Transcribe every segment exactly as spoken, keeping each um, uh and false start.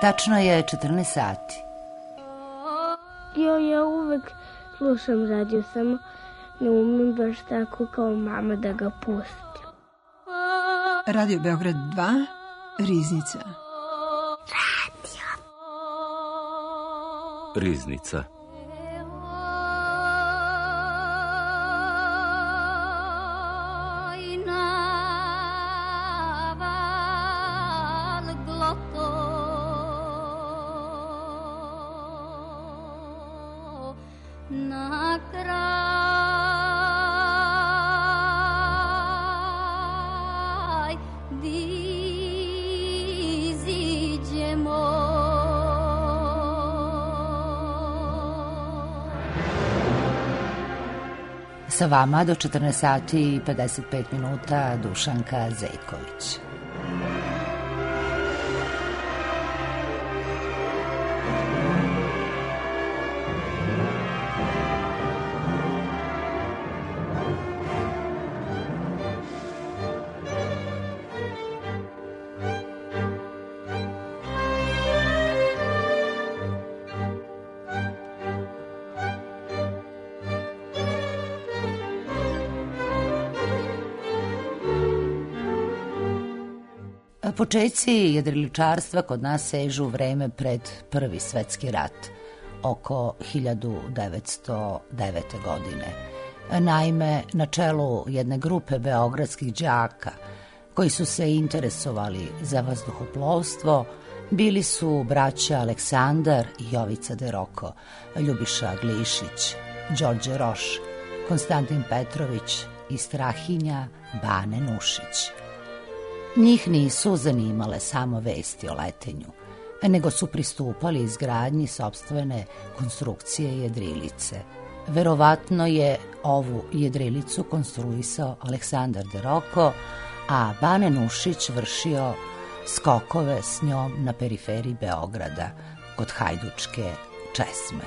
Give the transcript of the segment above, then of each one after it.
Tačno je četrnaest sati. Jo, ja uvek slušam radio, samo ne umem baš tako kao mama da ga pustim. Radio Beograd dva, Riznica. Radio. Riznica. Sa vama do četrnaest sati i pedeset pet minuta Dušanka Zejković. Počeci jedriličarstva kod nas sežu u vreme pred Prvi svetski rat, oko hiljadu devetsto devete. godine. Naime, na čelu jedne grupe beogradskih đaka koji su se interesovali za vazduhoplovstvo bili su braća Aleksandar i Jovica de Roko, Ljubiša Glišić, Đorđe Roš, Konstantin Petrović i Strahinja Bane Nušić. Njih nisu zanimale samo vesti o letenju, nego su pristupali izgradnji sopstvene konstrukcije jedrilice. Verovatno je ovu jedrilicu konstruisao Aleksandar de Roko, a Bane Nušić vršio skokove s njom na periferiji Beograda, kod Hajdučke česme.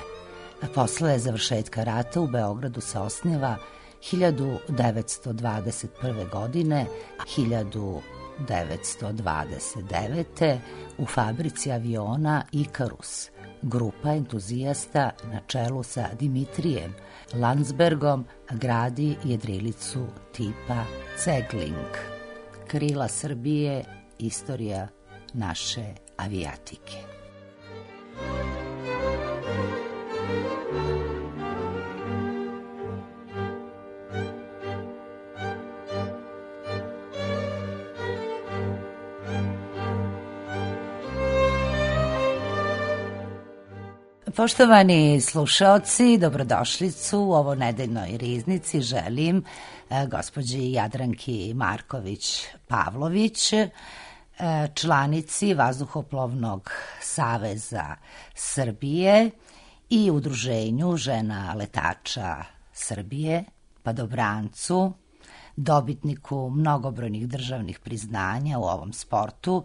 Posle završetka rata u Beogradu se osniva hiljadu devetsto dvadeset prve. godine, hiljadu devetsto dvadeset devete. u fabrici aviona Ikarus grupa entuzijasta na čelu sa Dimitrijem Landsbergom gradi jedrilicu tipa Cegling. Krila Srbije, istorija naše avijatike. Poštovani slušaoci, dobrodošlicu u ovo nedeljnoj riznici želim e, gospođi Jadranki Marković-Pavlović, e, članici Vazduhoplovnog saveza Srbije i udruženju žena letača Srbije, padobrancu, dobitniku mnogobrojnih državnih priznanja u ovom sportu,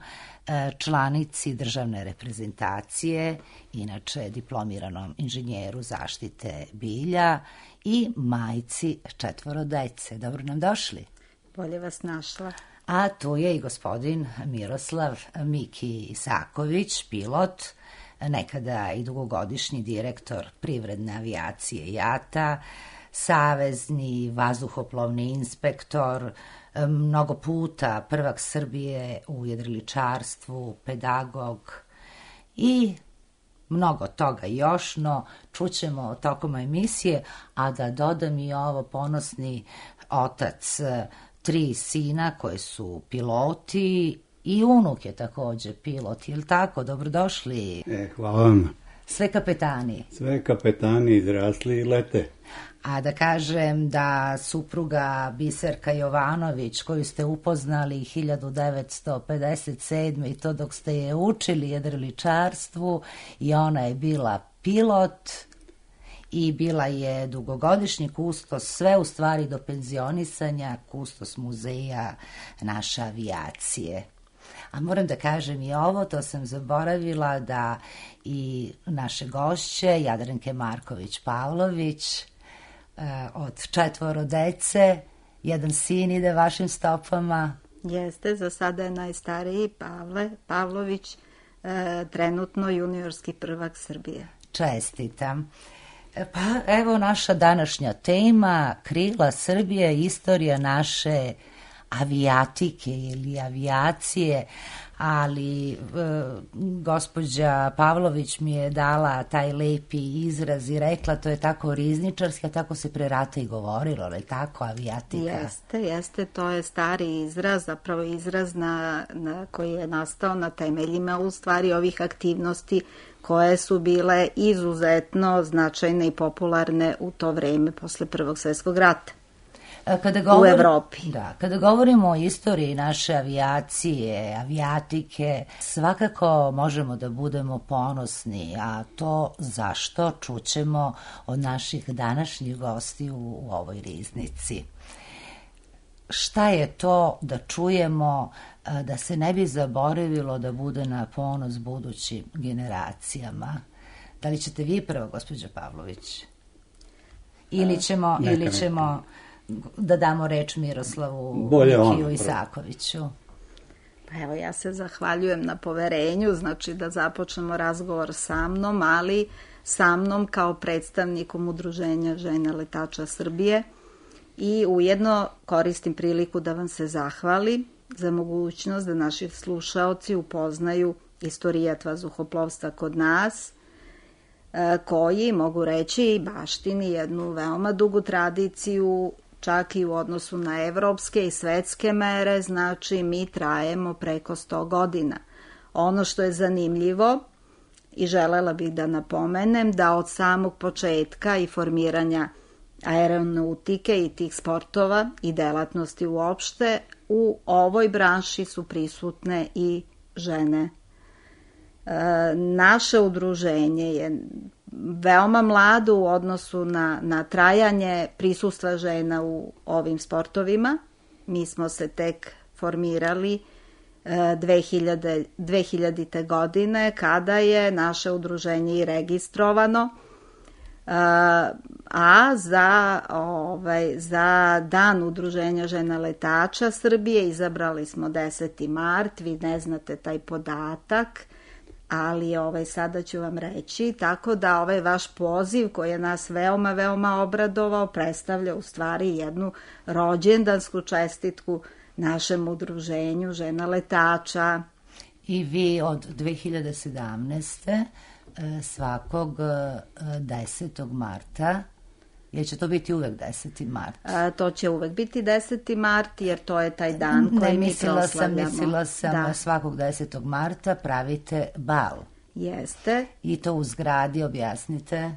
članici državne reprezentacije, inače diplomiranom inženjeru zaštite bilja i majci četvoro dece. Dobro nam došli. Bolje vas našla. A tu je i gospodin Miroslav Miki Isaković, pilot, nekada i dugogodišnji direktor privredne avijacije JATA, savezni vazduhoplovni inspektor, mnogo puta prvak Srbije u jedriličarstvu, pedagog i mnogo toga još, no čućemo tokom emisije, a da dodam i ovo, ponosni otac tri sina koji su piloti i unuk je takođe pilot, je li tako? Dobrodošli. E, hvala vam. Sve kapetani. Sve kapetani izrasli i lete. A da kažem da supruga Biserka Jovanović, koju ste upoznali hiljadu devetsto pedeset sedme. i to dok ste je učili jedriličarstvu, i ona je bila pilot i bila je dugogodišnji kustos, sve u stvari do penzionisanja, kustos muzeja naše avijacije. A moram da kažem i ovo, to sam zaboravila, da i naše gošće, Jadranke Marković-Pavlović, od četvoro dece, jedan sin ide vašim stopama. Jeste, za sada je najstariji Pavle Pavlović, e, trenutno juniorski prvak Srbije. Čestitam. Pa evo naša današnja tema, krila Srbije, istorija naše avijatike ili avijacije, ali e, gospođa Pavlović mi je dala taj lepi izraz i rekla to je tako rizničarski, a tako se pre rata i govorilo, ali tako, avijatika? Jeste, jeste, to je stari izraz, zapravo izraz na, na koji je nastao na temeljima u stvari ovih aktivnosti koje su bile izuzetno značajne i popularne u to vreme posle Prvog svjetskog rata. Kada govori, u Evropi. Da, kada govorimo o istoriji naše avijacije, avijatike, svakako možemo da budemo ponosni, a to zašto čućemo od naših današnjih gosti u, u ovoj riznici. Šta je to da čujemo, da se ne bi zaboravilo da bude na ponos budućim generacijama? Da li ćete vi prvo, gospođo Pavlović? Ili ćemo, neka, ili ćemo da damo reč Miroslavu Mikiju Isakoviću? Pa evo, ja se zahvaljujem na poverenju, znači da započnemo razgovor sa mnom, ali sa mnom kao predstavnikom Udruženja žena letača Srbije, i ujedno koristim priliku da vam se zahvalim za mogućnost da naši slušaoci upoznaju istorijat vazduhoplovstva kod nas, koji, mogu reći, baštini jednu veoma dugu tradiciju, čak i u odnosu na evropske i svetske mere, znači mi trajemo preko sto godina. Ono što je zanimljivo i želela bih da napomenem, da od samog početka i formiranja aeronautike i tih sportova i delatnosti uopšte, u ovoj branši su prisutne i žene. E, naše udruženje je veoma mlado u odnosu na, na trajanje prisustva žena u ovim sportovima. Mi smo se tek formirali e, dve hiljadite. godine, kada je naše udruženje i registrovano, a za, ovaj, za dan Udruženja žena letača Srbije izabrali smo deseti mart, vi ne znate taj podatak, ali ovaj, sada ću vam reći, tako da ovaj vaš poziv koji je nas veoma, veoma obradovao, predstavlja u stvari jednu rođendansku čestitku našem udruženju žena letača. I vi od dve hiljade sedamnaeste. svakog desetog marta, jer će to biti uvek deseti mart? A, to će uvek biti deseti mart, jer to je taj dan koji ne, mi mislila proslavljamo. Sam, mislila sam da svakog desetog marta pravite bal. Jeste. I to u zgradi, objasnite.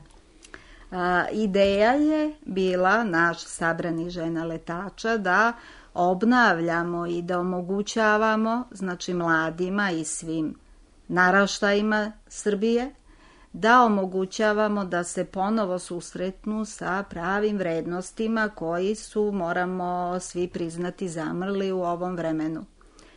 A, ideja je bila, naš sabrani žena letača, da obnavljamo i da omogućavamo, znači mladima i svim naraštajima Srbije, da omogućavamo da se ponovo susretnu sa pravim vrednostima koji su, moramo svi priznati, zamrli u ovom vremenu.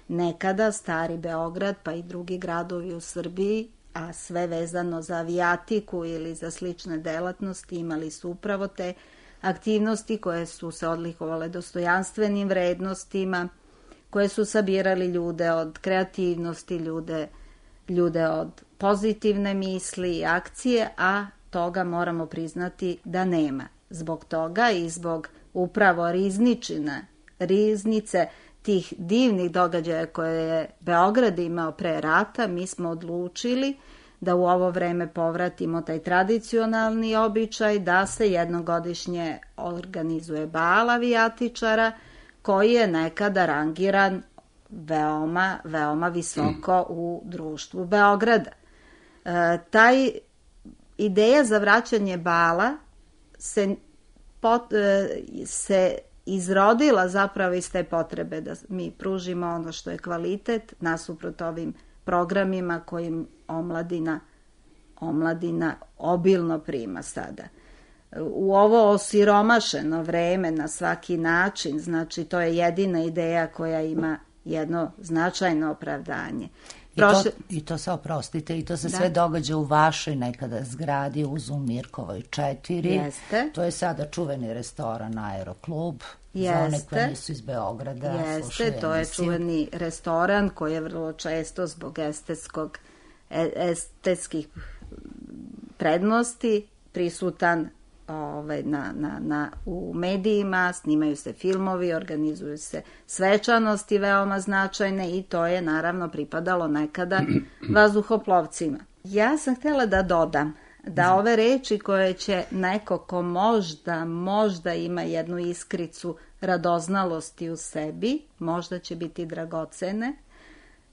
Nekada stari Beograd, pa i drugi gradovi u Srbiji, a sve vezano za avijatiku ili za slične delatnosti, imali su upravo te aktivnosti koje su se odlikovale dostojanstvenim vrednostima, koje su sabirali ljude od kreativnosti, ljude ljude od pozitivne misli i akcije, a toga moramo priznati da nema. Zbog toga i zbog upravo rizničine, riznice tih divnih događaja koje je Beograd imao pre rata, mi smo odlučili da u ovo vreme povratimo taj tradicionalni običaj da se jednogodišnje organizuje bal avijatičara, koji je nekada rangiran veoma, veoma visoko u društvu Beograda. E, taj ideja za vraćanje bala se, pot, e, se izrodila zapravo iz te potrebe da mi pružimo ono što je kvalitet nasuprot ovim programima kojim omladina, omladina obilno prima sada. U ovo osiromašeno vreme na svaki način, znači to je jedina ideja koja ima jedno značajno opravdanje. Prošle... I, to, I to se, oprostite, i to se da. sve događa u vašoj nekada zgradi u Zumirkovoj četiri. Jeste. To je sada čuveni restoran Aeroklub. Jeste. Za one koje nisu iz Beograda. Jeste, to je čuveni restoran koji je vrlo često zbog estetskog estetskih prednosti prisutan ovaj, na, na, na, u medijima, snimaju se filmovi, organizuju se svečanosti veoma značajne i to je naravno pripadalo nekada vazduhoplovcima. Ja sam htjela da dodam da ove reči koje će neko ko možda, možda ima jednu iskricu radoznalosti u sebi, možda će biti dragocene.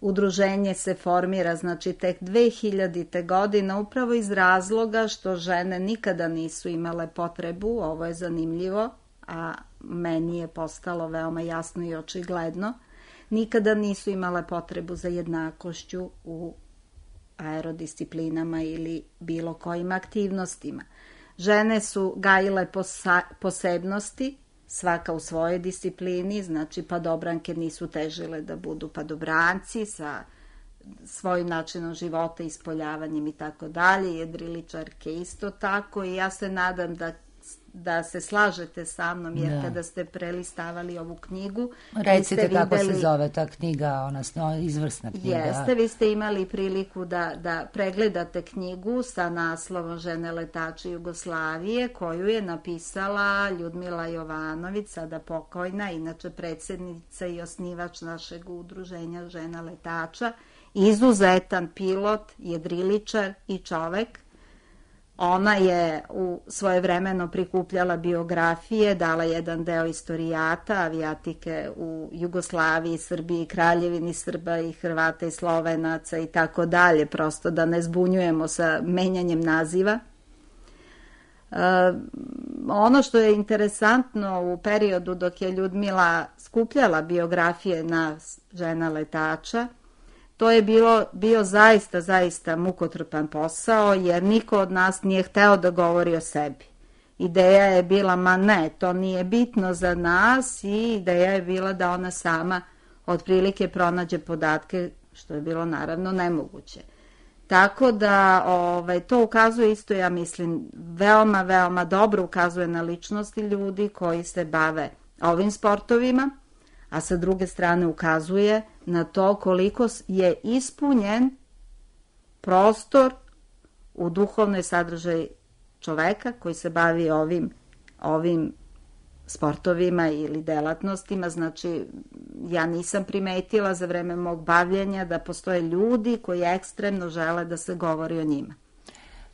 Udruženje se formira, znači, tek dve hiljadite godine upravo iz razloga što žene nikada nisu imale potrebu, ovo je zanimljivo, a meni je postalo veoma jasno i očigledno, nikada nisu imale potrebu za jednakošću u aerodisciplinama ili bilo kojim aktivnostima. Žene su gajile posa, posebnosti, svaka u svojoj disciplini, znači padobranke nisu težile da budu padobranci sa svojim načinom života, ispoljavanjem i tako dalje, jedriličarke isto tako i ja se nadam da da se slažete sa mnom, jer da. Kada ste prelistavali ovu knjigu... Recite videli, kako se zove ta knjiga, ona izvrsna knjiga. Jeste, vi ste imali priliku da, da pregledate knjigu sa naslovom Žene letače Jugoslavije, koju je napisala Ljudmila Jovanović, sada pokojna, inače predsjednica i osnivač našeg udruženja Žena letača, izuzetan pilot, jedriličar i čovek. Ona je u svojevremeno prikupljala biografije, dala jedan deo istorijata, avijatike u Jugoslaviji, Srbiji, Kraljevini Srba i Hrvata i Slovenaca i tako dalje, prosto da ne zbunjujemo sa menjanjem naziva. E, ono što je interesantno u periodu dok je Ljudmila skupljala biografije nas žena letača, to je bilo, bio zaista, zaista mukotrpan posao, jer niko od nas nije hteo da govori o sebi. Ideja je bila, ma ne, to nije bitno za nas i ideja je bila da ona sama otprilike pronađe podatke, što je bilo naravno nemoguće. Tako da ovaj, to ukazuje isto, ja mislim, veoma, veoma dobro ukazuje na ličnosti ljudi koji se bave ovim sportovima, a sa druge strane ukazuje na to koliko je ispunjen prostor u duhovnoj sadržaji čoveka koji se bavi ovim, ovim sportovima ili delatnostima. Znači, ja nisam primetila za vreme mog bavljenja da postoje ljudi koji ekstremno žele da se govori o njima.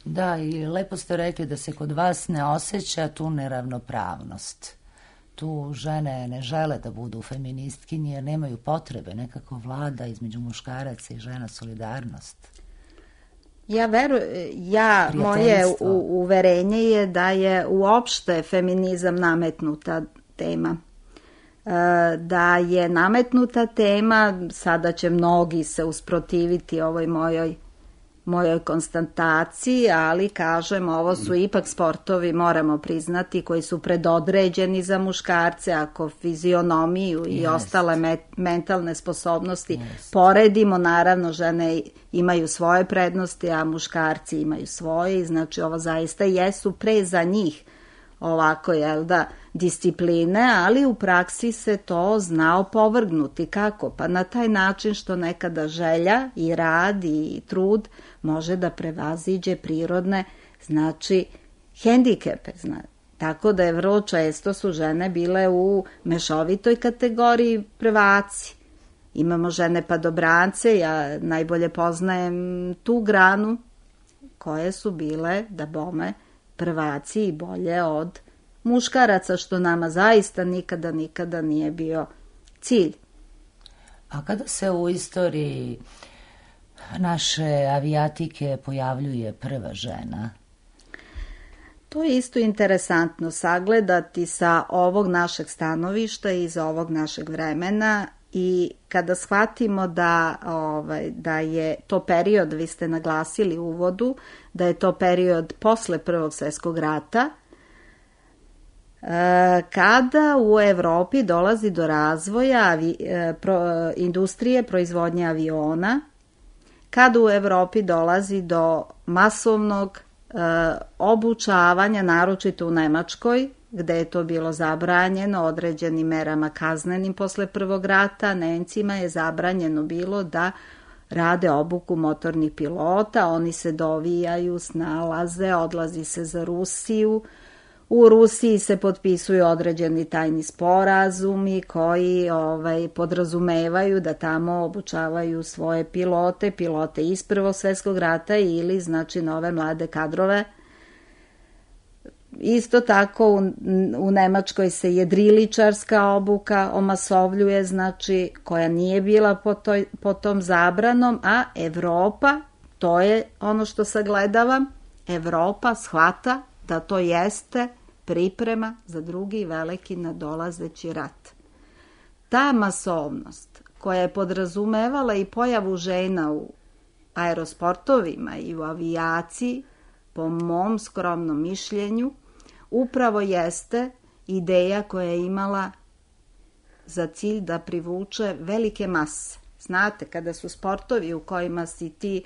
Da, i lepo ste rekli da se kod vas ne osjeća tu neravnopravnost. Tu žene ne žele da budu feministkinje jer nemaju potrebe, nekako vlada između muškaraca i žena solidarnost. Ja verujem, ja, moje u, uverenje je da je uopšte feminizam nametnuta tema. E, da je nametnuta tema, sada će mnogi se usprotiviti ovoj mojoj mojoj konstataciji, ali kažem, ovo su ipak sportovi, moramo priznati, koji su predodređeni za muškarce. Ako fizionomiju i yes. ostale me, mentalne sposobnosti yes. poredimo, naravno žene imaju svoje prednosti, a muškarci imaju svoje, znači ovo zaista jesu pre za njih ovako, jel da, discipline, ali u praksi se to zna opovrgnuti. Kako? Pa na taj način što nekada želja i rad i trud može da prevaziđe prirodne, znači, hendikepe. Znači. Tako da je vrlo često su žene bile u mešovitoj kategoriji prvaci. Imamo žene padobrance, ja najbolje poznajem tu granu, koje su bile, da bome, prvaci i bolje od muškaraca, što nama zaista nikada, nikada nije bio cilj. A kada se u istoriji naše avijatike pojavljuje prva žena? To je isto interesantno sagledati sa ovog našeg stanovišta i iz ovog našeg vremena, i kada shvatimo da, ovaj, da je to period, vi ste naglasili u uvodu, da je to period posle Prvog svjetskog rata, kada u Evropi dolazi do razvoja avi, pro, industrije proizvodnje aviona, kada u Evropi dolazi do masovnog e, obučavanja, naročito u Nemačkoj, gde je to bilo zabranjeno određenim merama kaznenim posle Prvog rata, Nemcima je zabranjeno bilo da rade obuku motornih pilota, oni se dovijaju, snalaze, odlazi se za Rusiju. U Rusiji se potpisuju određeni tajni sporazumi koji ovaj, podrazumevaju da tamo obučavaju svoje pilote, pilote iz Prvog svjetskog rata ili znači nove mlade kadrove. Isto tako u, u Nemačkoj se jedriličarska obuka omasovljuje, znači koja nije bila pod, toj, pod tom zabranom, a Evropa, to je ono što sagledavam, Evropa shvata da to jeste priprema za drugi veliki nadolazeći rat. Ta masovnost koja je podrazumevala i pojavu žena u aerosportovima i u avijaciji, po mom skromnom mišljenju, upravo jeste ideja koja je imala za cilj da privuče velike mase. Znate, kada su sportovi u kojima si ti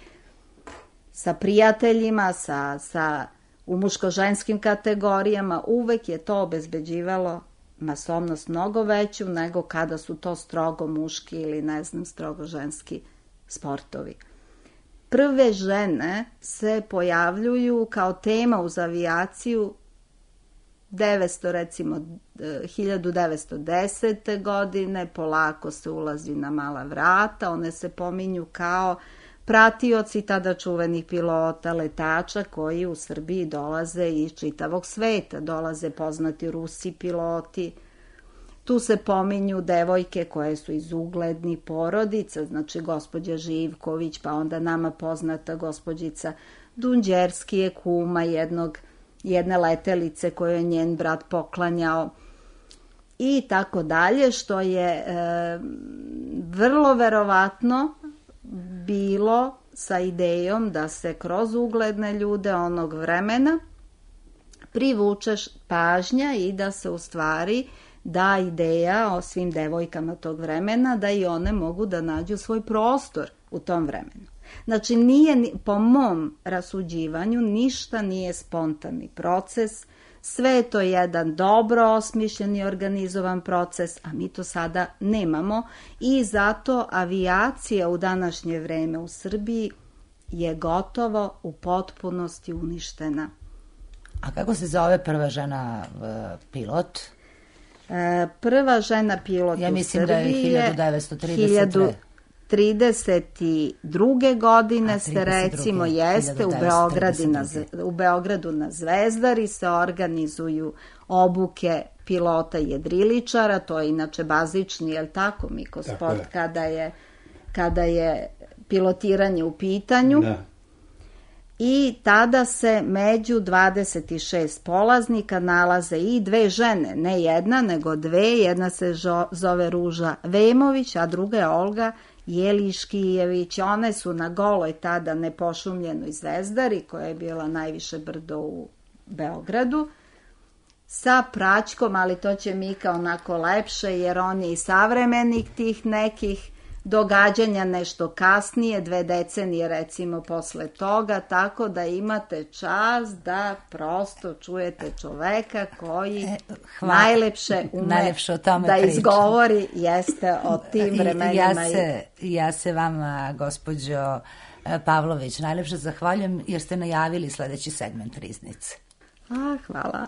sa prijateljima, sa, sa u muško-ženskim kategorijama, uvek je to obezbeđivalo masovnost mnogo veću nego kada su to strogo muški ili ne znam strogo ženski sportovi. Prve žene se pojavljuju kao tema uz avijaciju devetsto, recimo hiljadu devetsto desete. godine, polako se ulazi na mala vrata, one se pominju kao pratioci tada čuvenih pilota, letača koji u Srbiji dolaze iz čitavog sveta, dolaze poznati Rusi piloti. Tu se pominju devojke koje su iz uglednih porodica, znači gospođa Živković, pa onda nama poznata gospođica Dunđerski je kuma jednog, jedne letelice koju je njen brat poklanjao i tako dalje, što je e, vrlo verovatno bilo sa idejom da se kroz ugledne ljude onog vremena privučeš pažnja i da se u stvari da ideja o svim devojkama tog vremena da i one mogu da nađu svoj prostor u tom vremenu. Znači, nije, po mom rasuđivanju, ništa nije spontani proces, sve je to jedan dobro osmišljen i organizovan proces, a mi to sada nemamo i zato avijacija u današnje vreme u Srbiji je gotovo u potpunosti uništena. A kako se zove prva žena uh, pilot? E, prva žena pilot ja u mislim Srbiji da je hiljadu devetsto trideset dve. hiljadu trideset druge. godine A, se recimo jeste u Beogradu, na, u Beogradu na Zvezdari se organizuju obuke pilota i jedriličara, to je inače bazični, je li tako, Miko, sport kada je, kada je pilotiranje u pitanju. Da. I tada se među dvadeset šest polaznika nalaze i dve žene, ne jedna, nego dve. Jedna se zove Ruža Vemović, a druga je Olga Jeliškijević. One su na goloj tada nepošumljenoj Zvezdari, koja je bila najviše brdo u Beogradu, sa praćkom, ali to će Mika onako lepše, jer on je i savremenik tih nekih događanja nešto kasnije, dve decenije recimo posle toga, tako da imate čast da prosto čujete čoveka koji e, najlepše ume da pričam. Izgovori jeste o tim vremenima. Ja se, ja se vama, gospođo Pavlović, najlepše zahvaljujem jer ste najavili sledeći segment Riznice. A, hvala.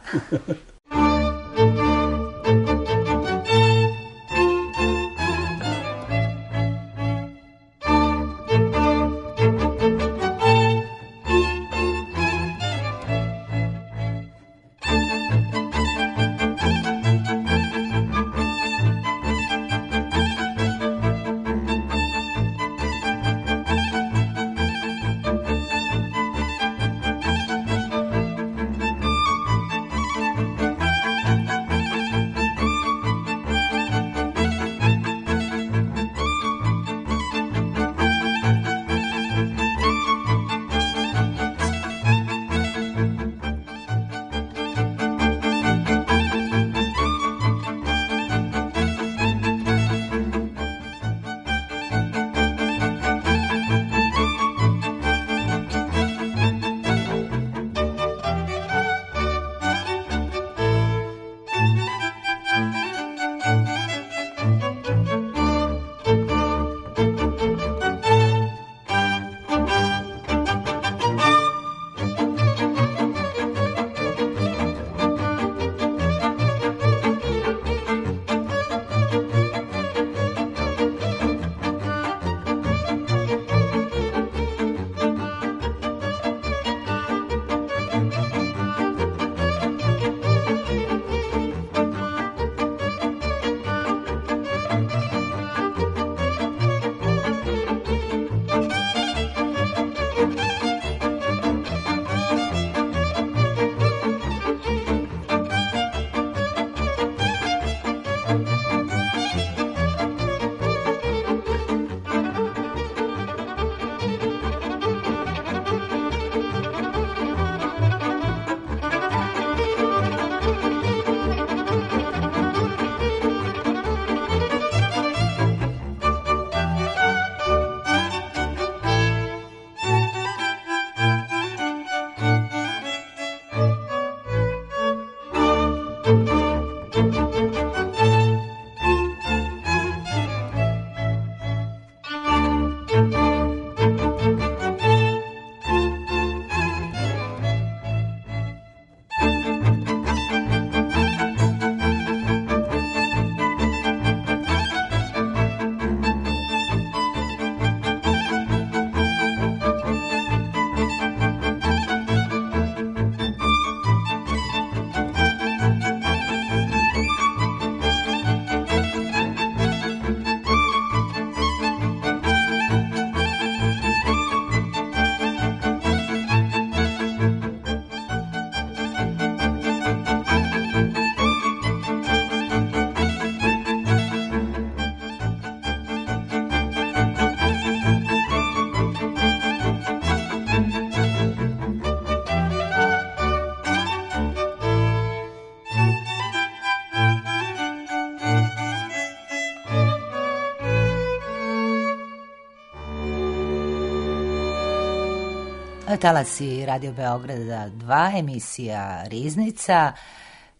Talasi Radio Beograda dva, emisija Riznica,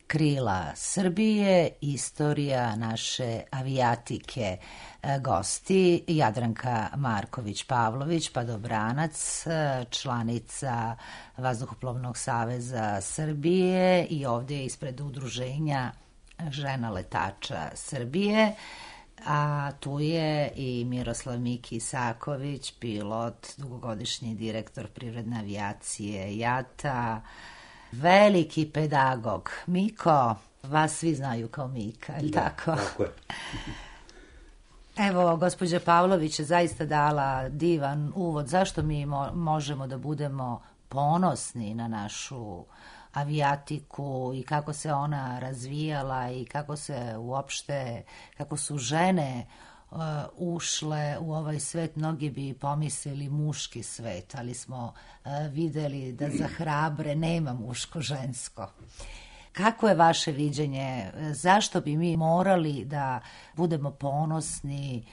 krila Srbije, istorija naše avijatike. Gosti Jadranka Marković-Pavlović, padobranac, članica Vazduhoplovnog saveza Srbije i ovdje ispred udruženja Žena letača Srbije. A tu je i Miroslav Miki-Isaković, pilot, dugogodišnji direktor privredne avijacije JAT-a, veliki pedagog. Miko, vas svi znaju kao Mika, je li Da, tako? tako je. Evo, gospođa Pavlović je zaista dala divan uvod. Zašto mi mo- možemo da budemo ponosni na našu avijatiku i kako se ona razvijala i kako se uopšte, kako su žene uh, ušle u ovaj svet. Mnogi bi pomislili muški svet, ali smo uh, videli da za hrabre nema muško-žensko. Kako je vaše viđenje? Zašto bi mi morali da budemo ponosni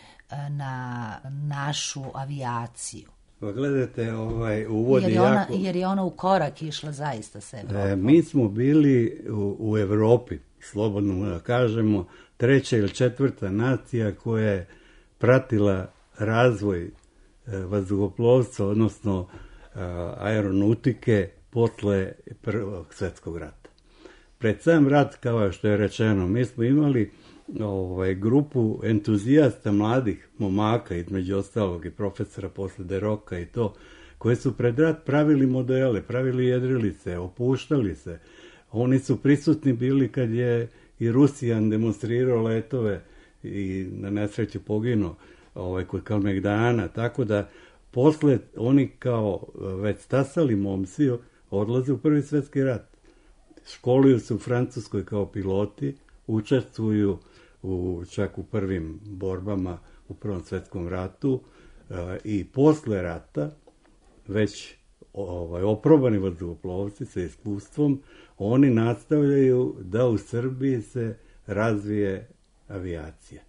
na našu avijaciju? Pa gledajte, ovaj, uvod Jer je je ona, jako... jer je ona u korak išla zaista sa Evropom. E, mi smo bili u, u Evropi, slobodno da kažemo, treća ili četvrta nacija koja je pratila razvoj e, vazduhoplovstva, odnosno e, aeronautike posle Prvog svjetskog rata. Pred sam rat, kao što je rečeno, mi smo imali ovaj, grupu entuzijasta mladih momaka, između ostalog i profesora posle Deroka i to, koji su pred rat pravili modele, pravili jedrilice, opuštali se. Oni su prisutni bili kad je i Rusijan demonstrirao letove i na nesreću poginuo ovaj, kod Kalmegdana, tako da posle oni kao već stasali momci odlaze u Prvi svjetski rat. Školuju se u Francuskoj kao piloti, učestvuju u, čak u prvim borbama u Prvom svjetskom ratu e, i posle rata, već ovaj, oprobani vazduhoplovci sa iskustvom, oni nastavljaju da u Srbiji se razvije avijacija.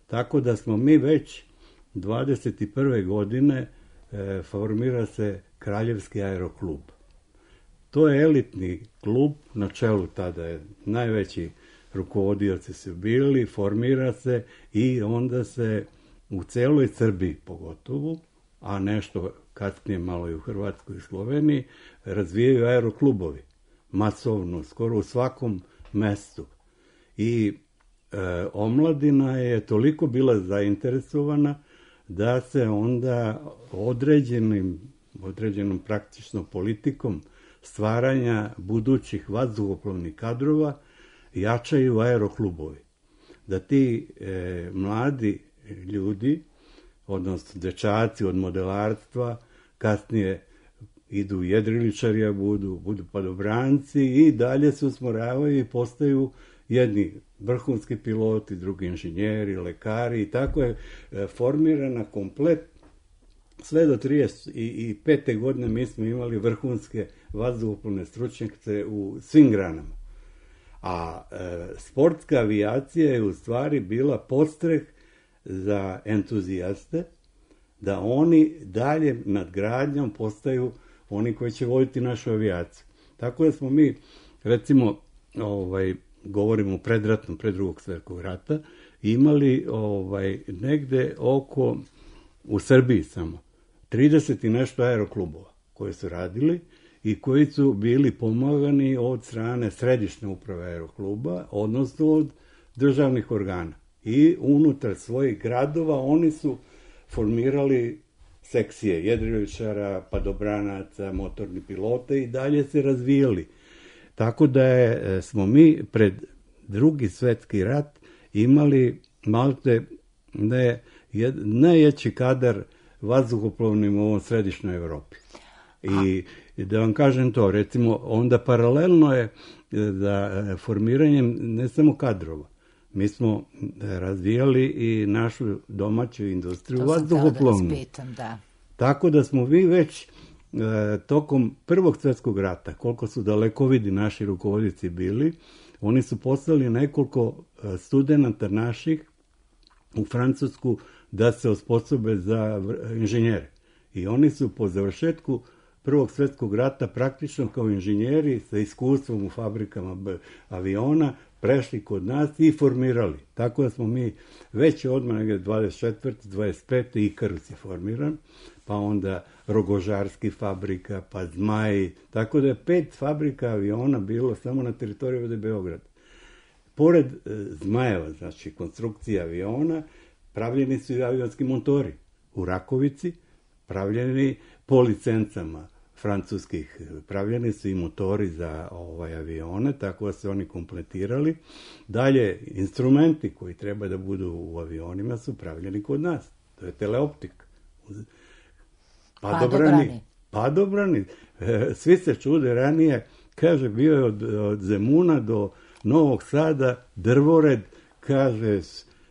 Tako da smo mi već dvadeset prve godine e, formira se Kraljevski aeroklub. To je elitni klub, na čelu tada je najveći rukovodioci su bili, formira se i onda se u celoj Srbiji pogotovo, a nešto kasnije malo i u Hrvatskoj i Sloveniji, razvijaju aeroklubovi, masovno, skoro u svakom mestu. I e, omladina je toliko bila zainteresovana da se onda određenim, određenom praktičnom politikom stvaranja budućih vazduhoplovnih kadrova jačaju aeroklubovi. Da ti e, mladi ljudi, odnosno dečaci od modelarstva, kasnije idu jedriličarija, budu, budu padobranci i dalje se usmoravaju i postaju jedni vrhunski piloti, drugi inženjeri, lekari i tako je e, formirana komplet. Sve do trideset pete godine mi smo imali vrhunske vazduhoplovne stručnjake u svim granama. A e, sportska avijacija je u stvari bila podstreh za entuzijaste da oni dalje nadgradnjom postaju oni koji će voditi našu avijaciju. Tako da smo mi, recimo, ovaj, govorimo o predratnom, pred Drugog svjetskog rata, imali ovaj, negde oko, u Srbiji samo, trideset i nešto aeroklubova koji su radili i koji su bili pomagani od strane središnje uprave aerokluba, odnosno od državnih organa. I unutar svojih gradova oni su formirali sekcije jedriličara, padobranaca, motorni pilota i dalje se razvijali. Tako da je, smo mi pred Drugi svjetski rat imali malte ne, najjači kadar vazduhoplovnim u ovom središnjoj Evropi. I da vam kažem to, recimo, onda paralelno je da formiranjem ne samo kadrova, mi smo razvijali i našu domaću industriju vazduhoplovnu. Da. Tako da smo vi već e, tokom Prvog svjetskog rata, koliko su dalekovidi naši rukovodioci bili, oni su poslali nekoliko studenata naših u Francusku da se osposobe za inženjere. I oni su po završetku Prvog svjetskog rata praktično kao inženjeri sa iskustvom u fabrikama aviona prešli kod nas i formirali. Tako da smo mi već odmah negdje dvadeset četvrte dvadeset pete Ikarus je formiran, pa onda Rogožarski fabrika, pa Zmaj, tako da je pet fabrika aviona bilo samo na teritoriju ovdje Beograda. Pored e, Zmajeva, znači konstrukcija aviona, pravljeni su i avionski motori. U Rakovici pravljeni po licencama francuskih, pravljeni su i motori za ovaj avione, tako da se oni kompletirali. Dalje, instrumenti koji treba da budu u avionima su pravljeni kod nas. To je teleoptik. Padobrani. Padobrani. E, svi se čude ranije, kaže, bio je od, od Zemuna do Novog Sada drvored, kaže,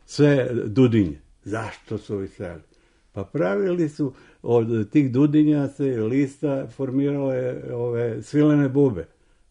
sve dudinje. Zašto su ovi seli? Pa pravili su, od tih dudinja se lista formirale ove svilene bube.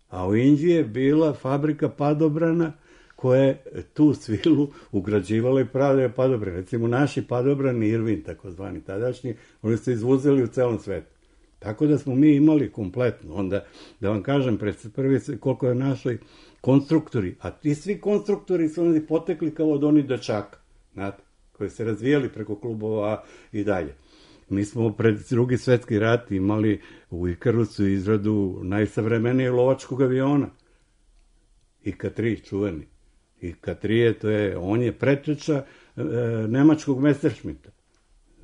A u Inđiji je bila fabrika padobrana koja je tu svilu ugrađivala i pravila padobrane. Recimo naši padobrani, Irvin, takozvani tadašnji, oni su izvuzeli u celom svetu. Tako da smo mi imali kompletno. Onda, da vam kažem, pred prvi koliko je našli konstruktori, a ti svi konstruktori su oni potekli kao od onih dečaka, znate, koji se razvijali preko klubova i dalje. Mi smo pred drugi svjetski rat imali u Ikarusu izradu najsavremenijeg lovačkog aviona. I K tri čuveni. I K tri je, to je, on je preteča e, nemačkog Messerschmitta.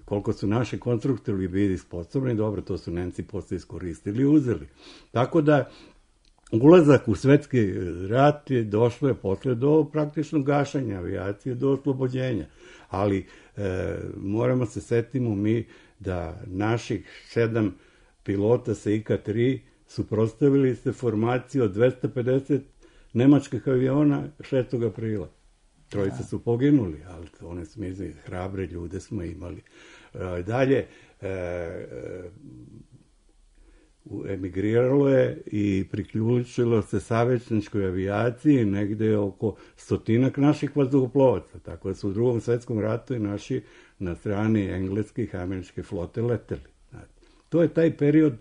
Koliko su naši konstruktori bili sposobni, dobro, to su Nemci posle iskoristili i uzeli. Tako da, ulazak u svetski rat je došlo je posle do praktično gašanja avijacije, do oslobođenja. Ali e, moramo se setimo mi da naših sedam pilota sa I K tri suprotstavili se formaciju od dvesta pedeset nemačkih aviona šestog aprila. Trojice su poginuli, ali one smo izvijeli, hrabre ljude smo imali. E, dalje, e, e, emigriralo je i priključilo se savezničkoj avijaciji negde oko stotinak naših vazduhoplovaca. Tako da su u drugom svjetskom ratu i naši na strani engleskih američke flote leteli. To je taj period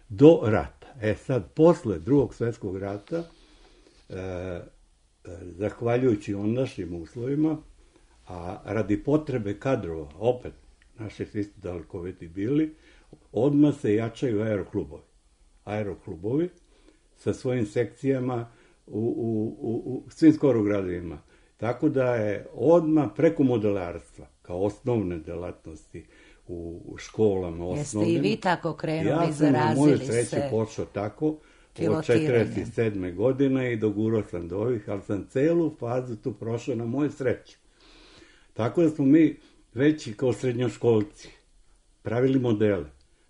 do rata. E sad, posle drugog svjetskog rata, e, e, zahvaljujući ondašnjim uslovima, a radi potrebe kadrova, opet, naši svi su dalekoviti bili, odmah se jačaju aeroklubovi. Aeroklubovi sa svojim sekcijama u, u, u, u svim skoro gradovima. Tako da je odmah preko modelarstva, kao osnovne delatnosti u školama osnovnim. Jeste i vi tako krenuli, ja zarazili se? Ja sam na moju sreću počeo tako od četrdeset sedme godine i dogurao sam do ovih, ali sam celu fazu tu prošao na moju sreću. Tako da smo mi već kao srednjoškolci pravili modele.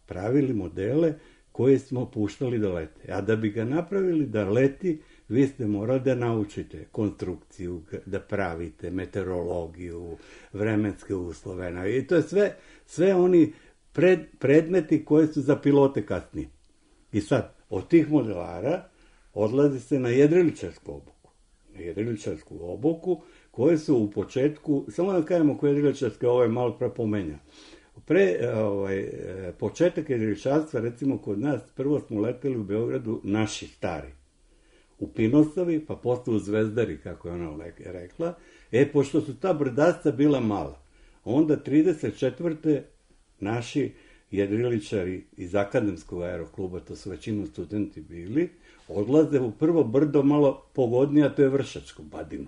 Pravili modele koje smo puštali da lete. A da bi ga napravili da leti, vi ste morali da naučite konstrukciju, da pravite meteorologiju, vremenske uslove. I to je sve, sve oni pred, predmeti koji su za pilote kasnije. I sad, od tih modelara odlazi se na jedriličarsku obuku. Na jedriličarsku obuku koje su u početku, samo da kažemo koje jedriličarske, ovo je malo prepomenja. Pre, ovaj, početak jedriličarstva, recimo kod nas, prvo smo leteli u Beogradu naši stari. U Pinosovi, pa posle u Zvezdari, kako je ona rekla. E, pošto su ta brdasca bila mala, onda trideset četvrte naši jedriličari iz akademskog aerokluba, to su većinu studenti bili, odlaze u prvo brdo malo pogodnije, a to je Vršačko, Badinu.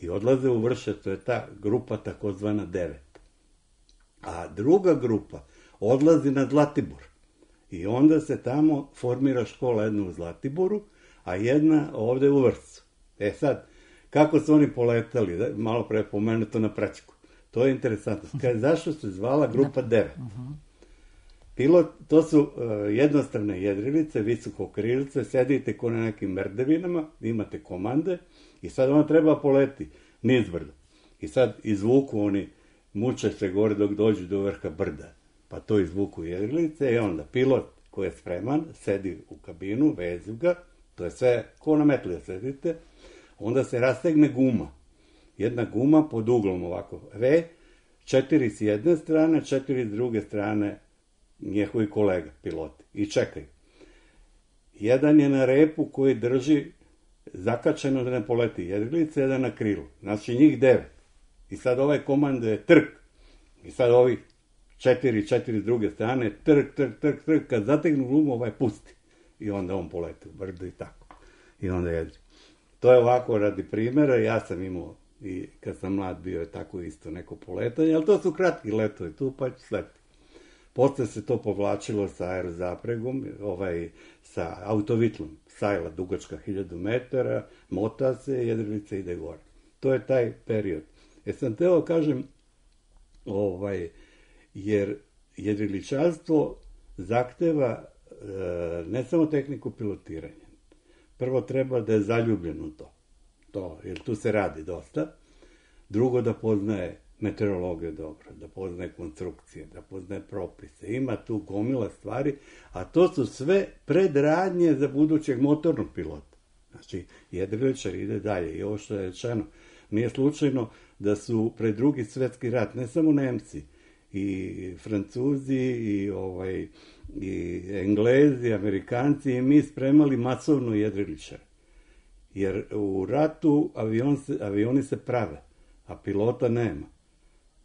I odlaze u Vršac, to je ta grupa takozvana devet. A druga grupa odlazi na Zlatibor. I onda se tamo formira škola jedna u Zlatiboru, a jedna ovde u Vršcu. E sad, kako su oni poletali, da, malo pre pomenuto na praćku. To je interesantno. Kaže, zašto se zvala grupa devet? Pilot, to su uh, jednostavne jedrilice, visokokrilce, sedite ko na nekim merdevinama, imate komande i sad ona treba poleti nizbrdo. I sad izvuku oni, muče se gore dok dođu do vrha brda. Pa to izvuku jedrilice i onda pilot koji je spreman, sedi u kabinu, vezu ga, to je sve ko na metli sedite, onda se rastegne guma. Jedna guma pod uglom ovako V, četiri s jedne strane, četiri s druge strane njihovi kolega, piloti, i čekaju. Jedan je na repu koji drži zakačeno da ne poleti jedrilice, jedan na krilu. Znači njih devet. I sad ovaj komanduje trk. I sad ovi četiri, četiri s druge strane, trk, trk, trk, trk. Kad zategnu gumu, ovaj pusti. I onda on poleti u brdo i tako. I onda jedri. To je ovako radi primjera. Ja sam imao, i kad sam mlad bio je tako isto neko poletanje, ali to su kratki letovi tu, pa ću sleti. Posle se to povlačilo sa aerozapregom, ovaj, sa autovitlom, sajla dugačka hiljadu metara, mota se, jedrilica ide gore. To je taj period. E sam teo kažem, ovaj, jer jedriličarstvo zahteva e, ne samo tehniku pilotiranja. Prvo treba da je zaljubljen u to, to, jer tu se radi dosta. Drugo, da poznaje meteorologiju dobro, da poznaje konstrukcije, da poznaje propise. Ima tu gomila stvari, a to su sve predradnje za budućeg motornog pilota. Znači, jedriličar ide dalje. I ovo što je rečeno, nije slučajno da su pred drugi svjetski rat, ne samo Nemci, i Francuzi, i, ovaj, i Englezi, Amerikanci, i mi spremali masovno jedriličare. Jer u ratu avion se, avioni se prave, a pilota nema.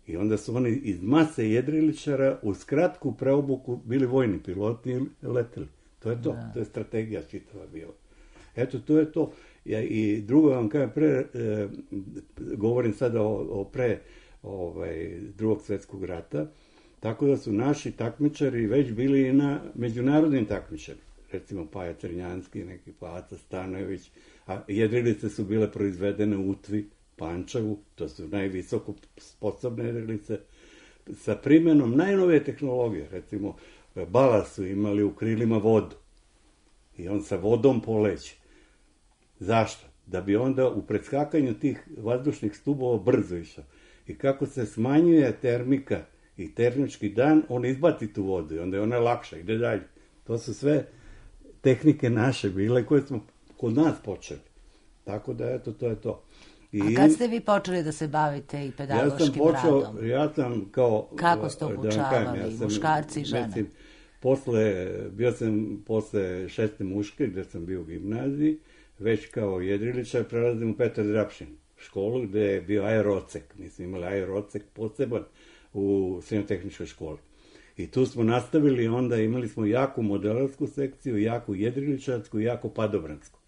I onda su oni iz mase jedriličara uz kratku preobuku bili vojni piloti i leteli. To je to, da. To je strategija čitava bila. Eto, to je to. Ja, i drugo vam kažem, pre, e, govorim sada o, o pre ovaj, drugog svjetskog rata, tako da su naši takmičari već bili i na međunarodnim takmičarima. Recimo Paja Crnjanski, neki Paca Stanojević, a jedrilice su bile proizvedene u Utvi, Pančevu, to su najvisoko sposobne jedrilice, sa primjenom najnovije tehnologije. Recimo, Bala su imali u krilima vodu i on sa vodom poleće. Zašto? Da bi onda u predskakanju tih vazdušnih stubova brzo išao. I kako se smanjuje termika i termički dan, on izbaci tu vodu i onda je ona lakša, ide dalje. To su sve tehnike naše bile koje smo kod nas počeli. Tako da, eto, to je to. I, a kad ste vi počeli da se bavite i pedagoškim ja sam počeo, radom? Ja sam kao... Kako ste obučavali, ja sam, muškarci i žene? Mislim, posle, bio sam posle šeste muške, gde sam bio u gimnaziji, već kao jedriličar prelazim u Petar Drapšin školu, gde je bio aerocek. Mi smo imali aerocek poseban u srednjotehničkoj školi. I tu smo nastavili, onda imali smo jaku modelarsku sekciju, jaku jedriličarsku i jaku padobransku.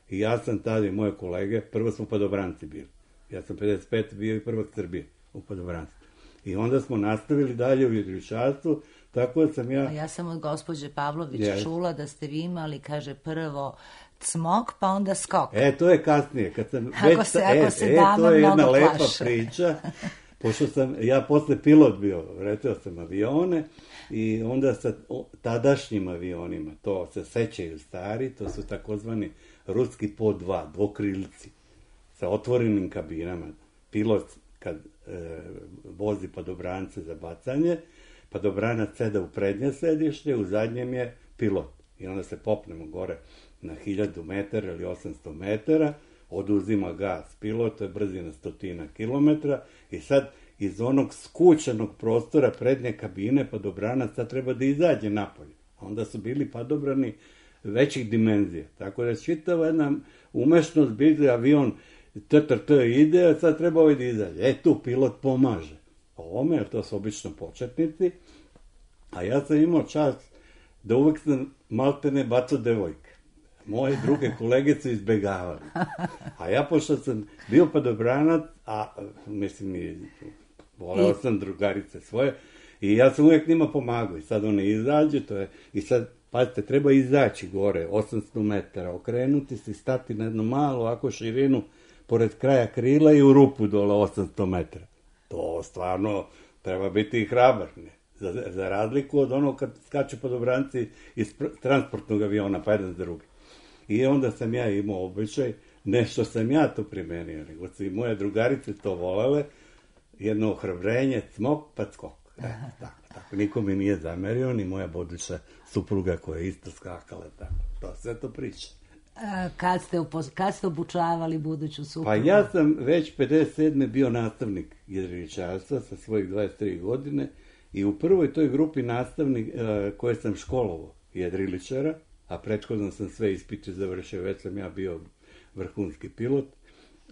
I ja sam tada i moje kolege, prvo smo padobranci bili. Ja sam pedeset pet bio i prvak Srbije u padobranstvu. I onda smo nastavili dalje u jedriličarstvu, tako da sam ja... A ja sam od gospođe Pavlović yes. čula da ste vi imali, kaže, prvo cmok, pa onda skok. E, to je kasnije. Kad sam ako već, se, ako e, se e, dama to je jedna mnogo lepa plaše. priča. Pošto sam, ja posle pilot bio, leteo sam avione i onda sa tadašnjim avionima, to se sećaju stari, to su takozvani ruski po dva, dvokrilci, sa otvorenim kabinama. Pilot kad e, vozi padobrance za bacanje, padobranac seda u prednje sedište, u zadnjem je pilot. I onda se popnemo gore na hiljadu metara ili osamsto metara, oduzima gas pilot, to je brzina stotina kilometra i sad iz onog skučenog prostora prednje kabine padobranac sad treba da izađe napolje. Onda su bili padobrani većih dimenzija. Tako da čitava jedna umešnost bili avion t t t ide, a sad treba ovaj da izađe. E tu pilot pomaže ovome, jer to su obično početnici, a ja sam imao čast da uvek sam maltene bacao devojke. Moje druge kolege su izbegavali. A ja, pošto sam bio padobranac, a mislim i voleo sam drugarice svoje, i ja sam uvijek njima pomagao. I sad one izađe, to je, i sad, pazite, treba izaći gore, osamsto metara, okrenuti se i stati na jednu malu, ovako širinu, pored kraja krila i u rupu dole osamsto metara. To stvarno treba biti i hrabar, ne? Za, za razliku od onog kad skaču padobranci iz transportnog aviona, pa jedan za drugi. I onda sam ja imao običaj, nešto sam ja to primenio, nego su i moje drugarice to volele, jedno ohrabrenje, cmok, pa skok. E, tako, tako. Niko mi nije zamerio, ni moja buduća supruga koja je isto skakala. Tako. To sve to priča. A, kad, ste upos... kad ste obučavali buduću suprugu? Pa ja sam već pedeset sedme bio nastavnik jedriličarstva sa svojih dvadeset tri godine I u prvoj toj grupi nastavnik uh, koje sam školovao jedriličara, a prethodno sam sve ispite završio, već sam ja bio vrhunski pilot,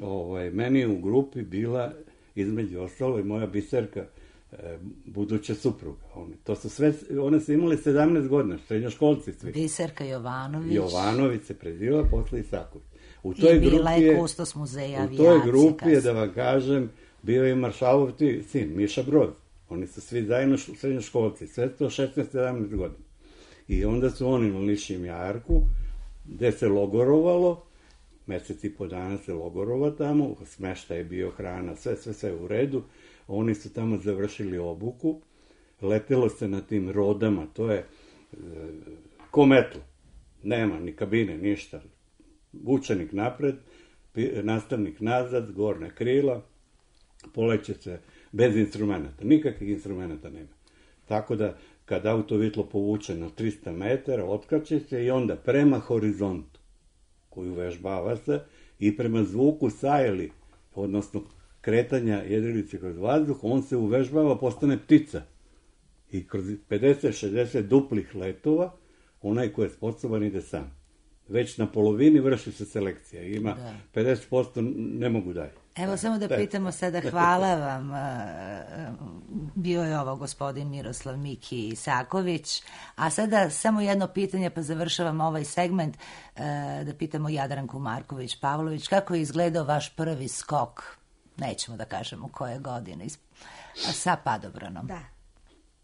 ovaj, meni je u grupi bila između ostalo i moja Biserka, e, buduća supruga. One, to su sve, one su imale sedamnaest godina, srednjoškolci svi. Biserka Jovanović. Jovanović se prezila, posle Isaković. U toj I bila grupi je kustos muzeja avijacije. U toj grupi kasno. je, da vam kažem, bio je Maršalov sin, Miša Broz. Oni su svi zajedno srednjoškolci, sve to šesnaest sedamnaest godina. I onda su oni na Lišjem jarku, gde se logorovalo, mesec i po dana se logorova tamo, smešta je bio, hrana, sve, sve, sve u redu. Oni su tamo završili obuku, letelo se na tim rodama, to je e, ko metlo, nema ni kabine, ništa. Učenik napred, nastavnik nazad, gornja krila, poleće se bez instrumenta, nikakvih instrumenta nema. Tako da, kad auto vitlo povuče na trista metara, otkače se i onda prema horizontu, koju vežbava se, i prema zvuku sajeli, odnosno kretanja jedrilice kroz vazduh, on se uvežbava, postane ptica. I kroz pedeset šezdeset duplih letova, onaj ko je sposoban ide sam. Već na polovini vrši se selekcija. Ima da. pedeset posto ne mogu dalje. Evo da. samo da pitamo sada, hvala vam. Bio je ovo gospodin Miroslav Miki Isaković. A sada samo jedno pitanje, pa završavamo ovaj segment, da pitamo Jadranku Marković-Pavlović. Kako je izgledao vaš prvi skok? Nećemo da kažemo koje godine. Sa padobranom. Da.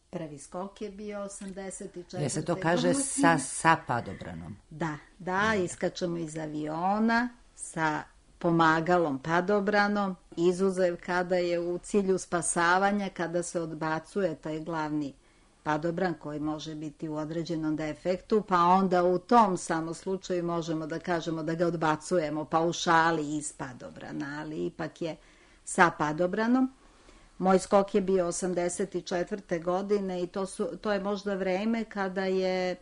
Prvi skok je bio osamdeset četvrte. Je se to kaže sa, sa padobranom? Da, da, iskačemo iz aviona sa pomagalom padobranom, izuzev kada je u cilju spasavanja, kada se odbacuje taj glavni padobran koji može biti u određenom defektu, pa onda u tom samo slučaju možemo da kažemo da ga odbacujemo, pa u šali iz padobrana, ali ipak je sa padobranom. Moj skok je bio osamdeset četvrte godine i to, su, to je možda vreme kada, je,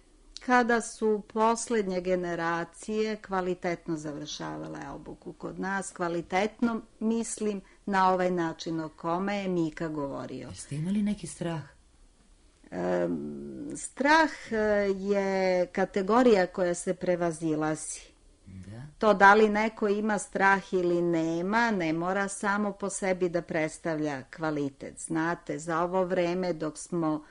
kada su poslednje generacije kvalitetno završavale obuku kod nas. Kvalitetno mislim na ovaj način o kome je Mika govorio. Jeste imali neki strah? E, strah je kategorija koja se prevazilazi. Da. To da li neko ima strah ili nema, ne mora samo po sebi da predstavlja kvalitet. Znate, za ovo vreme dok smo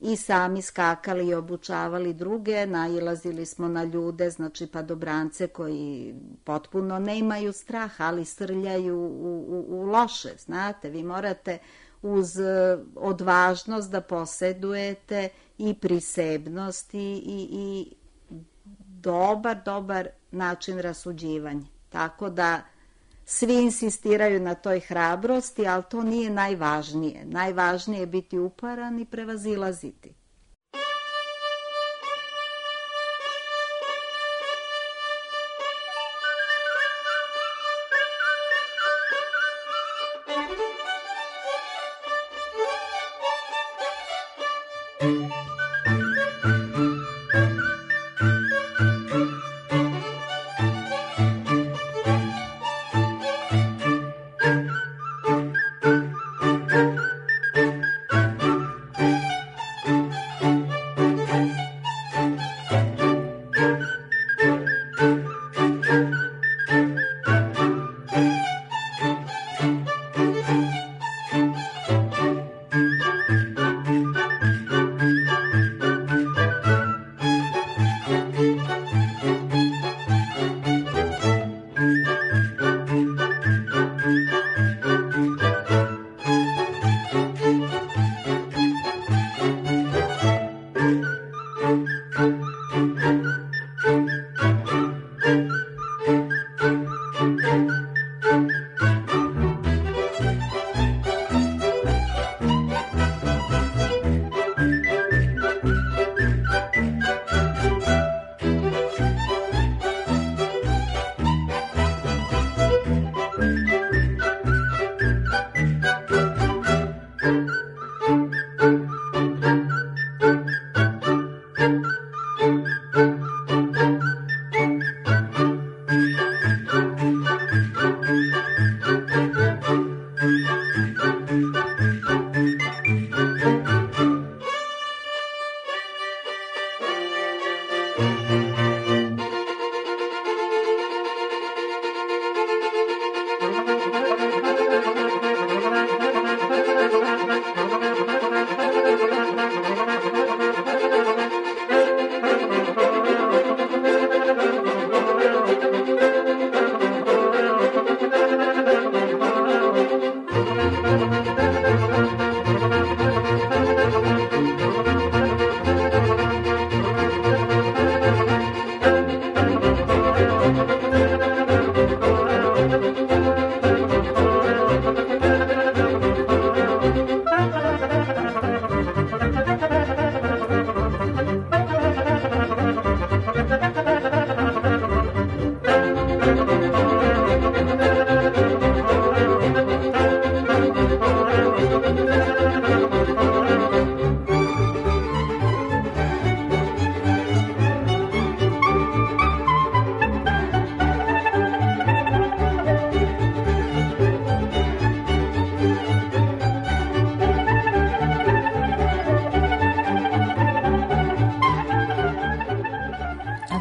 i sami skakali i obučavali druge, nailazili smo na ljude, znači padobrance koji potpuno nemaju strah, ali srljaju u, u, u loše. Znate, vi morate uz odvažnost da posedujete i prisebnost i, i, i dobar, dobar način rasuđivanja. Tako da svi insistiraju na toj hrabrosti, ali to nije najvažnije. Najvažnije je biti uparan i prevazilaziti.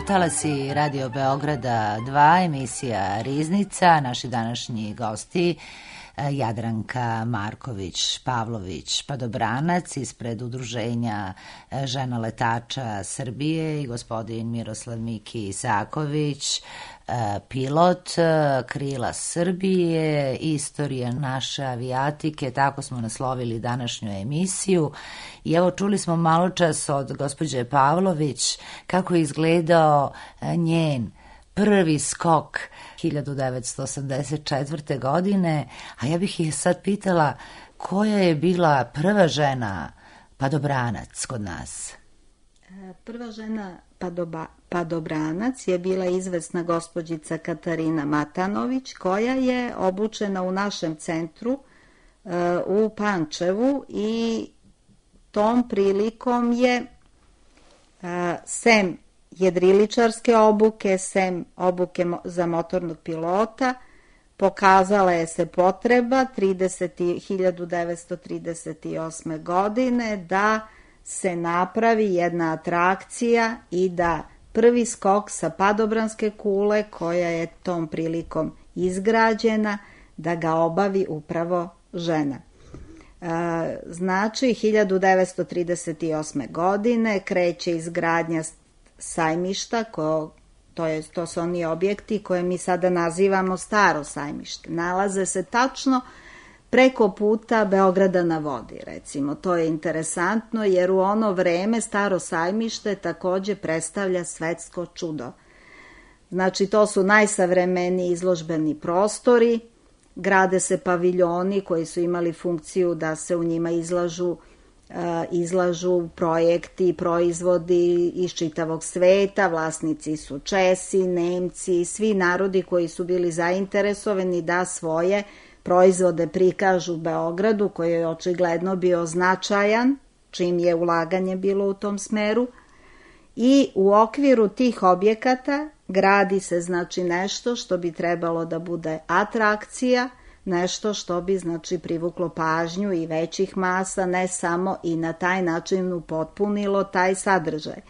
Talasi Radio Beograda dva, emisija Riznica, naši današnji gosti Jadranka Marković-Pavlović Padobranac ispred Udruženja žena letača Srbije i gospodin Miroslav Miki Isaković, pilot Krila Srbije, istorija naše avijatike, tako smo naslovili današnju emisiju. I evo čuli smo malo čas od gospođe Pavlović kako je izgledao njen prvi skok hiljadu devetsto osamdeset četvrte. godine, a ja bih je sad pitala koja je bila prva žena padobranac kod nas? Prva žena padoba, padobranac je bila izvesna gospođica Katarina Matanović, koja je obučena u našem centru u Pančevu i tom prilikom je sem jedriličarske obuke, sem obuke za motornog pilota, pokazala je se potreba hiljadu devetsto trideset osme. godine da se napravi jedna atrakcija i da prvi skok sa padobranske kule, koja je tom prilikom izgrađena, da ga obavi upravo žena. Znači, hiljadu devetsto trideset osme. godine kreće izgradnja sajmišta, ko, to, je, to su oni objekti koje mi sada nazivamo Staro sajmište. Nalaze se tačno preko puta Beograda na vodi, recimo. To je interesantno jer u ono vreme Staro sajmište takođe predstavlja svetsko čudo. Znači, to su najsavremeniji izložbeni prostori, grade se paviljoni koji su imali funkciju da se u njima izlažu izlažu projekti i proizvodi iz čitavog sveta, vlasnici su Česi, Nemci, svi narodi koji su bili zainteresovani da svoje proizvode prikažu Beogradu, koji je očigledno bio značajan, čim je ulaganje bilo u tom smeru. I u okviru tih objekata gradi se znači nešto što bi trebalo da bude atrakcija, nešto što bi znači privuklo pažnju i većih masa, ne samo, i na taj način upotpunilo taj sadržaj. E,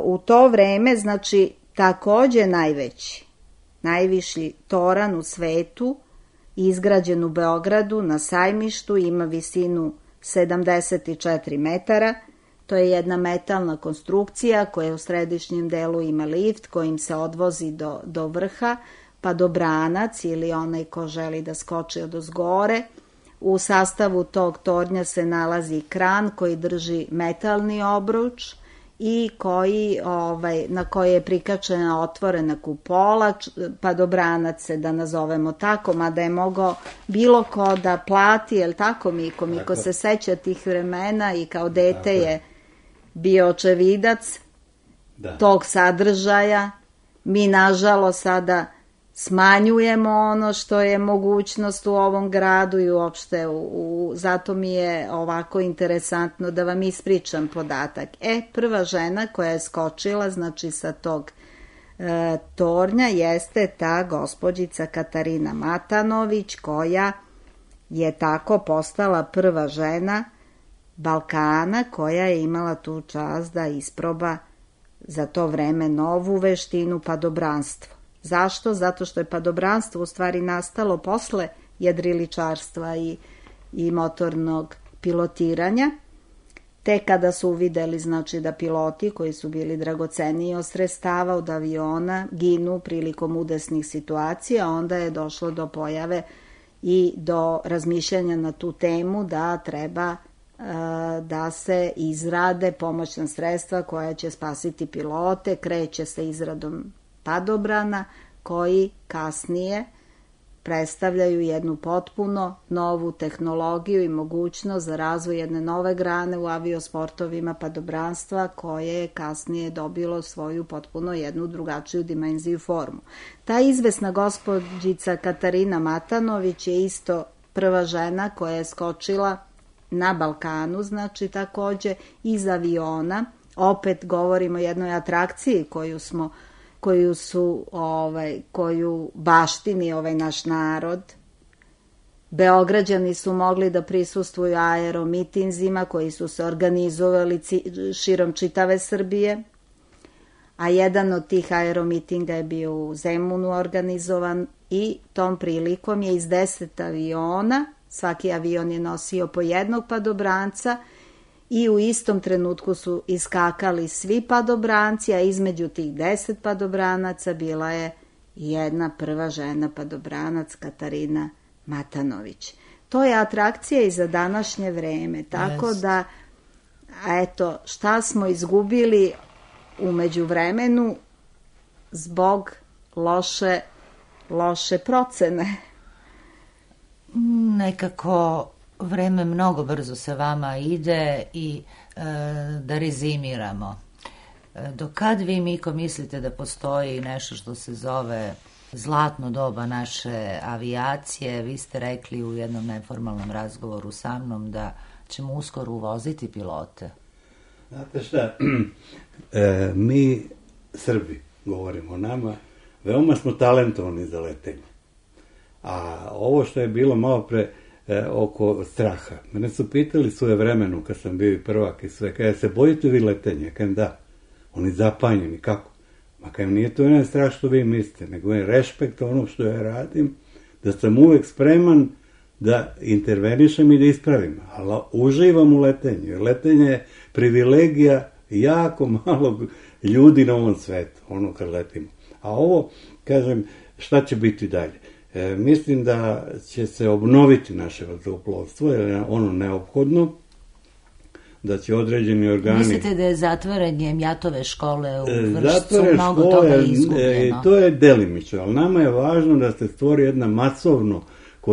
u to vreme znači takođe najveći, najviši toran u svetu, izgrađen u Beogradu na sajmištu, ima visinu sedamdeset četiri metara. To je jedna metalna konstrukcija koja u središnjem delu ima lift kojim se odvozi do, do vrha, padobranac ili onaj ko želi da skoči odozgore. U sastavu tog tornja se nalazi kran koji drži metalni obruč i koji, ovaj, na koji je prikačena otvorena kupola, padobranac se, da nazovemo tako, mada je mogao bilo ko da plati, jel tako Miko? Miko se seća tih vremena i kao dete je bio očevidac da. tog sadržaja. Mi nažalost sada smanjujemo ono što je mogućnost u ovom gradu i uopšte u, u, zato mi je ovako interesantno da vam ispričam podatak. E, prva žena koja je skočila, znači sa tog e, tornja, jeste ta gospođica Katarina Matanović, koja je tako postala prva žena Balkana koja je imala tu čast da isproba za to vreme novu veštinu, padobranstvo. Zašto? Zato što je padobranstvo u stvari nastalo posle jedriličarstva i, i motornog pilotiranja, te kada su uvideli, znači, da piloti koji su bili dragoceniji od sredstava od aviona ginu prilikom udesnih situacija, onda je došlo do pojave i do razmišljanja na tu temu da treba e, da se izrade pomoćna sredstva koja će spasiti pilote. Kreće se izradom padobrana koji kasnije predstavljaju jednu potpuno novu tehnologiju i mogućnost za razvoj jedne nove grane u aviosportovima padobranstva, koje je kasnije dobilo svoju potpuno jednu drugačiju dimenziju i formu. Ta izvesna gospođica Katarina Matanović je isto prva žena koja je skočila na Balkanu, znači takođe iz aviona. Opet govorimo o jednoj atrakciji koju smo koju su, ovaj, koju baštini ovaj naš narod. Beograđani su mogli da prisustvuju aeromitinzima koji su se organizovali širom čitave Srbije, a jedan od tih aeromitinga je bio u Zemunu organizovan i tom prilikom je iz deset aviona, svaki avion je nosio po jednog padobranca, i u istom trenutku su iskakali svi padobranci, a između tih deset padobranaca bila je jedna prva žena padobranac, Katarina Matanović. To je atrakcija i za današnje vreme, tako yes. da, eto, šta smo izgubili u međuvremenu zbog loše, loše procene? Nekako vreme mnogo brzo sa vama ide i e, da rezimiramo. E, do kad vi, Miko, mislite da postoji nešto što se zove zlatno doba naše avijacije? Vi ste rekli u jednom neformalnom razgovoru sa mnom da ćemo uskoro uvoziti pilote. Znate šta, e, mi Srbi, govorimo o nama, veoma smo talentovani za letenje. A ovo što je bilo malo pre E, oko straha. Mene su pitali svoje vremenu, kad sam bio i prvak i sve, kada se bojite vi letenja? Kajem da. Oni zapanjeni, kako? Ma kajem nije to jedan strah što vi mislite, nego je respekt ono što ja radim, da sam uvek spreman da intervenišem i da ispravim, ali uživam u letenju, jer letenje je privilegija jako malo ljudi na ovom svetu, ono kad letimo. A ovo, kažem, šta će biti dalje? E, mislim da će se obnoviti naše vazduhoplovstvo, jer je ono neophodno, da će određeni organi... Mislite da je zatvaranjem Jatove škole u Vršcu mnogo škole, toga izgubljeno? E, to je delimično, ali nama je važno da se stvori jedna masovno e,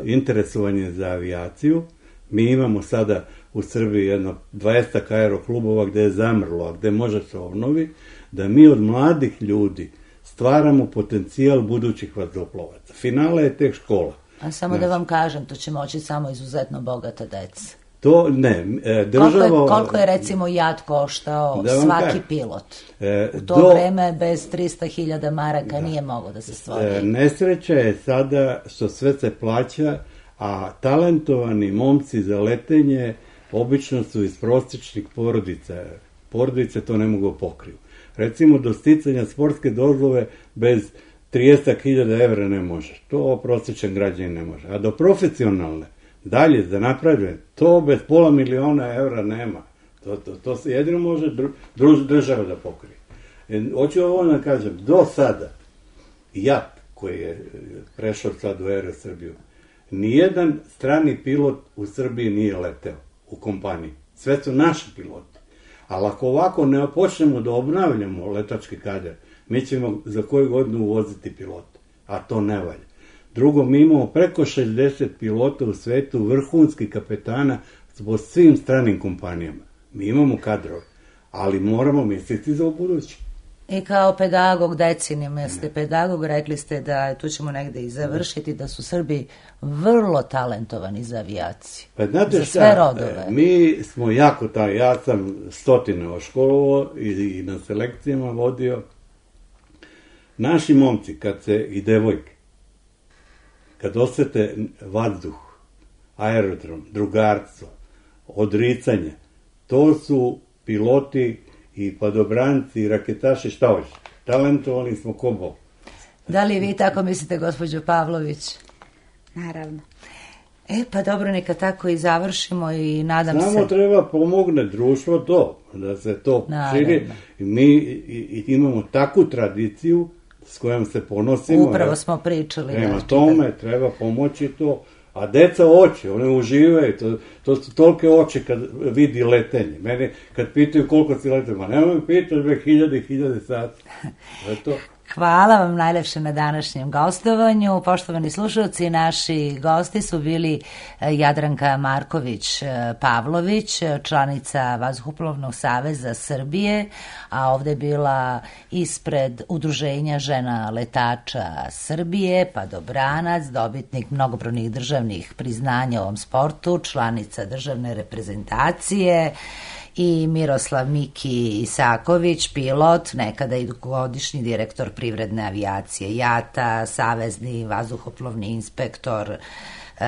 interesovanje za avijaciju. Mi imamo sada u Srbiji jedno dvadeset aeroklubova gde je zamrlo, a gde može se obnovi, da mi od mladih ljudi stvaramo potencijal budućih vazduhoplovaca. Finale je tek škola. A samo znači, da vam kažem, to će moći samo izuzetno bogata deca. To ne, e, država... Koliko je, koliko je recimo Jat koštao svaki kažem, pilot? E, U to do, vreme bez trista hiljada maraka da, nije mogo da se stvori. E, nesreća je sada što sve se plaća, a talentovani momci za letenje obično su iz prosječnih porodica. Porodice to ne mogu pokriju. Recimo, do sticanja sportske dozvole bez trideset hiljada evra ne može. To prosječan građanin ne može. A do profesionalne, dalje, da napravljuje, to bez pola miliona evra nema. To, to, to se jedino može dru, država da pokrije. E, hoću ovo da kažem, do sada, Jat, koji je prešao sad u Aero Srbiju, nijedan strani pilot u Srbiji nije leteo u kompaniji. Sve su naši piloti. Ali ako ovako ne počnemo da obnavljamo letački kader, mi ćemo za koju godinu uvoziti pilote, a to ne valja. Drugo, mi imamo preko šezdeset pilota u svetu, vrhunskih kapetana po svim stranim kompanijama. Mi imamo kadrove, ali moramo misliti za budući. I kao pedagog decenijama ste pedagog, rekli ste da tu ćemo negde i završiti, da su Srbi vrlo talentovani za avijaciju. Pa znate za šta, sve rodove. Mi smo jako ta, ja sam stotine oškolovao i, i na selekcijama vodio. Naši momci, kad se, i devojke, kad osete vazduh, aerodrom, drugarstvo, odricanje, to su piloti i padobranci i raketaši, šta hoće. Talentovani smo ko Bog. Da li vi tako mislite, gospođo Pavlović? Naravno. E, pa dobro, neka tako i završimo i nadam se... Samo treba pomogne društvo to, da se to širi. I mi i, i imamo takvu tradiciju s kojom se ponosimo. Upravo ja, smo pričali. Prema tome, treba pomoći to. A deca oči, one uživaju, to, to su tolike oči kad vidi letenje. Mene kad pitaju koliko si letao, ma nemoj pitati, be hiljade i hiljade sati. To je to. Hvala vam najlepše na današnjem gostovanju. Poštovani slušalci, naši gosti su bili Jadranka Marković-Pavlović, članica Vazduhoplovnog saveza Srbije, a ovde je bila ispred Udruženja žena letača Srbije, padobranac, dobitnik mnogobrojnih državnih priznanja u ovom sportu, članica državne reprezentacije, i Miroslav Miki Isaković, pilot, nekada i dugogodišnji direktor privredne avijacije JATA, savezni vazduhoplovni inspektor,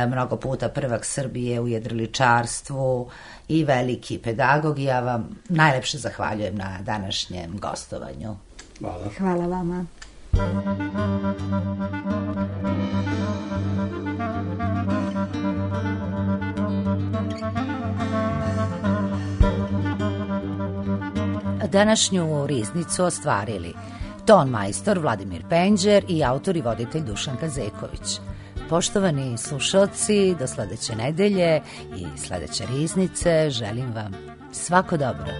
mnogo puta prvak Srbije u jedriličarstvu i veliki pedagog. Ja vam najlepše zahvaljujem na današnjem gostovanju. Hvala. Hvala vama. Današnju riznicu ostvarili ton majstor Vladimir Penđer i autor i voditelj Dušan Kazeković. Poštovani slušalci, do sledeće nedelje i sledeće riznice želim vam svako dobro.